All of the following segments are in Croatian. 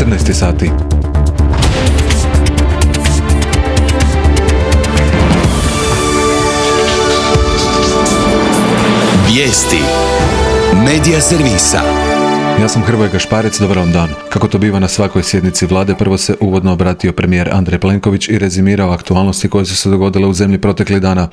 14 sati. Vijesti Medija servisa. Ja sam Hrvoje Gašparec, dobar vam dan. Kako to biva na svakoj sjednici vlade, prvo se uvodno obratio premijer Andrej Plenković i rezimirao aktualnosti koje su se dogodile u zemlji proteklih dana.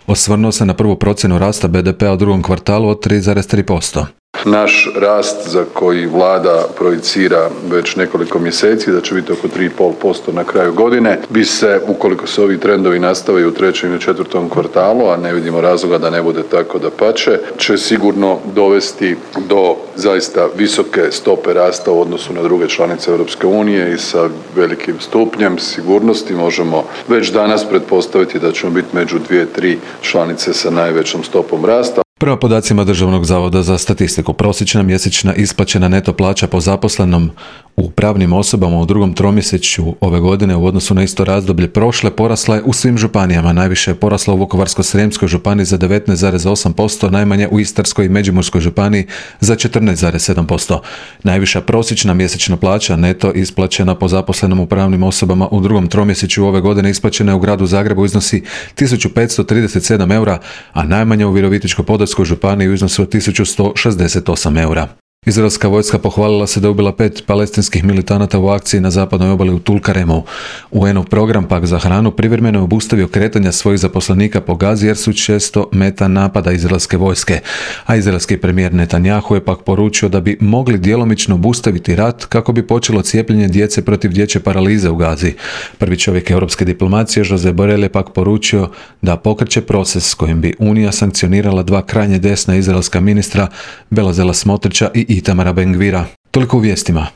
Osvrnuo se na prvu procjenu rasta BDP-a u drugom kvartalu od 3,3%. Naš rast za koji vlada projicira već nekoliko mjeseci, da će biti oko 3,5% na kraju godine, bi se, ukoliko se ovi trendovi nastave u trećem i četvrtom kvartalu, a ne vidimo razloga da ne bude tako, dapače, će sigurno dovesti do zaista visoke stope rasta u odnosu na druge članice Europske unije i sa velikim stupnjem sigurnosti možemo već danas pretpostaviti da ćemo biti među 2-3 članice sa najvećom stopom rasta. Prema podacima Državnog zavoda za statistiku, prosječna mjesečna isplaćena neto plaća po zaposlenom u pravnim osobama u drugom tromjesečju ove godine u odnosu na isto razdoblje prošle porasla je u svim županijama. Najviše je porasla u Vukovarsko-srijemskoj županiji za 19,8%, najmanje u Istarskoj i Međimurskoj županiji za 14,7%. Najviša prosječna mjesečna plaća neto isplaćena po zaposlenom u pravnim osobama u drugom tromjesečju ove godine isplaćena je u gradu Zagrebu iznosi 1537 eura, a najmanje u Virovitičko-podravskoj županiji u iznosu od 1168 eura. Izraelska vojska pohvalila se da je ubila 5 palestinskih militanata u akciji na zapadnoj obali u Tulkaremu. UN-ov program pak za hranu privremeno je obustavio kretanja svojih zaposlenika po Gazi jer su često meta napada izraelske vojske. A izraelski premijer Netanjahu je pak poručio da bi mogli djelomično obustaviti rat kako bi počelo cijepljenje djece protiv dječje paralize u Gazi. Prvi čovjek europske diplomacije Josep Borrell je pak poručio da pokreće proces s kojim bi Unija sankcionirala dva krajnje desna izraelska ministra, Bezalela Smotrića i Itamara Ben Gvira. Toliko u vijestima.